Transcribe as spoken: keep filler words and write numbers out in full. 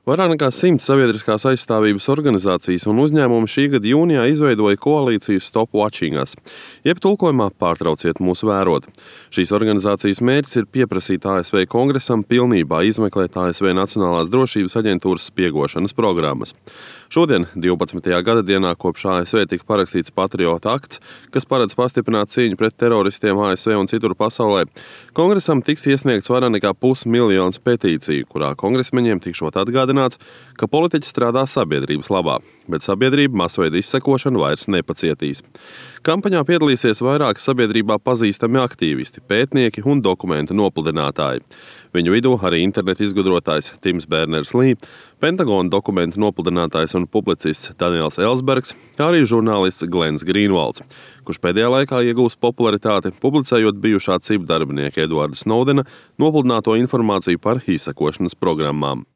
Vairāk nekā simts sabiedriskās aizstāvības organizācijas un uzņēmumi šī gada jūnijā izveidoja koalīciju Stop Watching Us, jeb tulkojumā pārtrauciet mūs vērot. Šīs organizācijas mērķis ir pieprasīt A S V Kongresam pilnībā izmeklēt A S V Nacionālās drošības aģentūras spiegošanas programmas. Šodien, divpadsmitajā gada dienā, kopš A S V tika parakstīts Patriota akts, kas paredz pastiprināt cīņu pret teroristiem A S V un citur pasaulē, Kongresam tiks iesniegts vairāk nekā pusmiljons petīciju, kurā kongresmeņiem tikšot atgādināts, ka politiķi strādā sabiedrības labā, bet sabiedrība masveida izsekošanu vairs nepacietīs. Kampaņā piedalīsies vairāki sabiedrībā pazīstami aktīvisti, pētnieki un dokumentu nopludinātāji. Viņu vidū arī internetu izgudrotājs Tims Berners-Lī, Pentagona dokumentu nopludinātājs un publicists Daniels Ellsbergs, kā arī žurnālists Glens Grīnvalds, kurš pēdējā laikā iegūst popularitāti, publicējot bijušā C I P darbinieka Edvarda Snowdena nopludināto informāciju par izsekošanas programmām.